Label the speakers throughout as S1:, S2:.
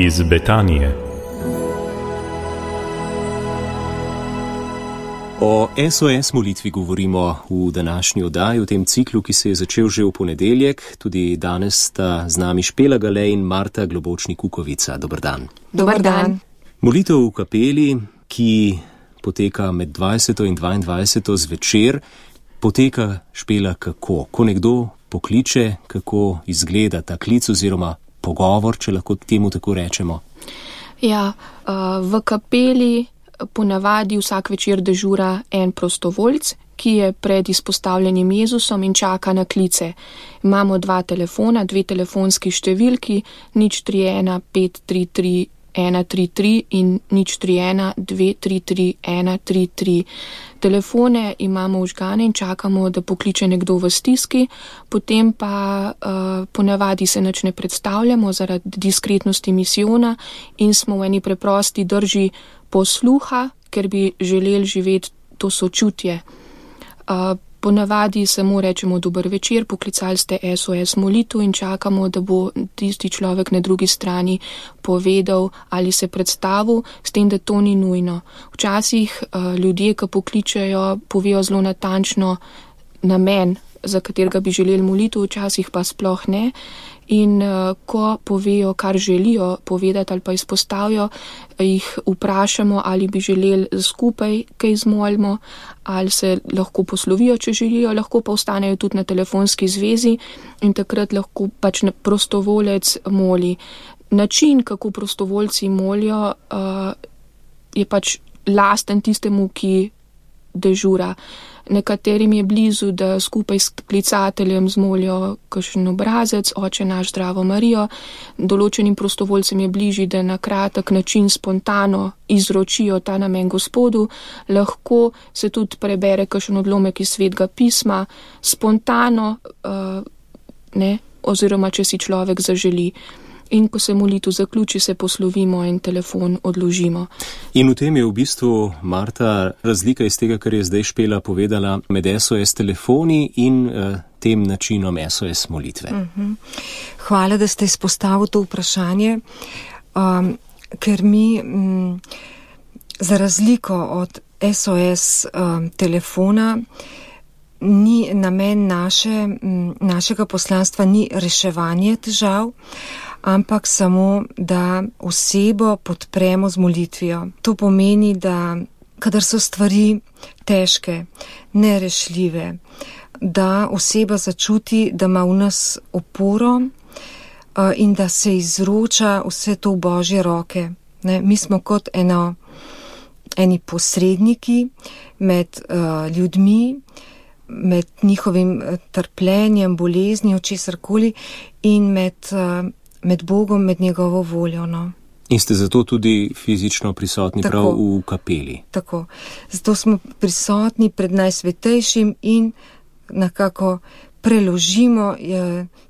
S1: iz Betanije.
S2: O SOS molitvi govorimo v današnji oddaji, v tem ciklu, ki se je začel že v ponedeljek. Tudi danes sta z nami Špela Gale in Marta Globočnik-Kukovica. Dober dan.
S3: Dober dan.
S2: Molitev v kapeli, ki poteka med 20. in 22. zvečer, poteka, Špela, kako? Ko nekdo pokliče, kako izgleda ta klic oziroma pogovor, če lahko temu tako rečemo?
S3: Ja, v kapeli ponavadi vsak večer dežura en prostovoljc, ki je pred izpostavljenim Jezusom in čaka na klice. Imamo 2 telefona, 2 telefonski številki, 031 533 133 in 031 233 133. Telefone imamo vžgane in čakamo, da pokliče nekdo v stiski, potem pa ponavadi se nič ne predstavljamo zaradi diskretnosti misijona in smo v eni preprosti drži posluha, ker bi želeli živeti to sočutje. Ponavadi samo rečemo dober večer, poklicali ste SOS molitev in čakamo, da bo tisti človek na drugi strani povedal ali se predstavil, s tem, da to ni nujno. Včasih ljudje, ki pokličejo, povejo zelo natančno namen, za katerega bi želeli molitev, včasih pa sploh ne. In ko povejo, kar želijo povedati ali pa izpostavijo, jih vprašamo, ali bi želeli skupaj kaj zmolimo, ali se lahko poslovijo, če želijo, lahko pa ostanejo tudi na telefonski zvezi in takrat lahko pač prostovolec moli. Način, kako prostovoljci molijo, je pač lasten tistemu, ki dežura. Nekaterim je blizu, da skupaj s klicateljem zmolijo kakšen obrazec, Oče naš, Zdravo Marijo. Določenim prostovoljcem je bližji, da na kratek način spontano izročijo ta namen Gospodu. Lahko se tudi prebere kakšen odlomek iz Svetega pisma, spontano, oziroma če si človek zaželi. In ko se molitev zaključi, se poslovimo in telefon odložimo.
S2: In v tem je v bistvu, Marta, razlika iz tega, kar je zdaj Špela povedala, med SOS telefoni in tem načinom SOS molitve.
S4: Hvala, da ste izpostavili to vprašanje, ker mi za razliko od SOS telefona ni namen našega poslanstva ni reševanje težav, ampak samo, da osebo podpremo z molitvijo. To pomeni, da kadar so stvari težke, nerešljive, da oseba začuti, da ima v nas oporo in da se izroča vse to v Božje roke. Mi smo kot eni posredniki med ljudmi, med njihovim trpljenjem, boleznijo, česarkoli in med Bogom, med njegovo voljo.
S2: In ste zato tudi fizično prisotni prav v kapeli. Tako.
S4: Zato smo prisotni pred Najsvetejšim in nekako preložimo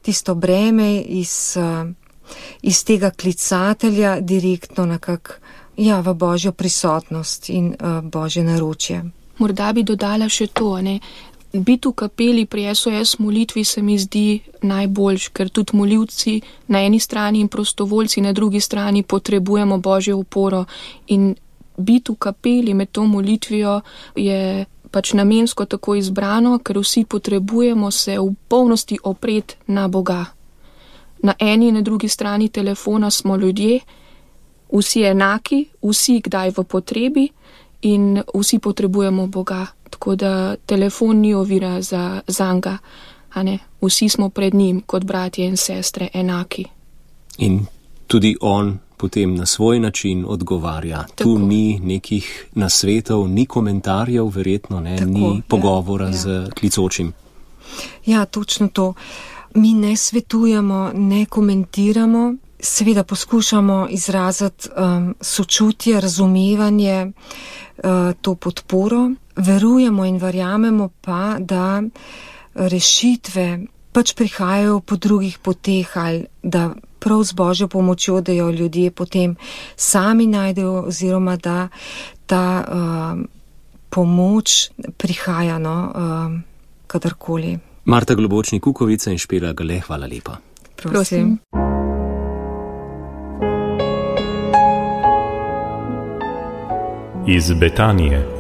S4: tisto breme iz tega klicatelja direktno nekako v Božjo prisotnost in Božje naročje.
S3: Morda bi dodala še to, Biti v kapeli pri SOS molitvi se mi zdi najboljš, ker tudi molivci na eni strani in prostovoljci na drugi strani potrebujemo Božjo oporo. In biti v kapeli med to molitvijo je pač namensko tako izbrano, ker vsi potrebujemo se v polnosti opreti na Boga. Na eni in na drugi strani telefona smo ljudje, vsi enaki, vsi kdaj v potrebi in vsi potrebujemo Boga. Tako da telefon ni ovira za zanga, vsi smo pred njim kot bratje in sestre enaki.
S2: In tudi on potem na svoj način odgovarja. Tako. Tu ni nekih nasvetov, ni komentarjev, verjetno ni pogovora z klicočim.
S4: Ja, točno to. Mi ne svetujemo, ne komentiramo, seveda poskušamo izraziti sočutje, razumevanje, to podporo. Verujemo in verjamemo pa, da rešitve pač prihajajo po drugih poteh ali da prav z Božjo pomočjo, da jo ljudje potem sami najdejo oziroma da ta pomoč prihaja kadarkoli.
S2: Marta Globočnik-Kukovica in Špela Gale, hvala lepa.
S4: Prosim.
S1: iz Betanije.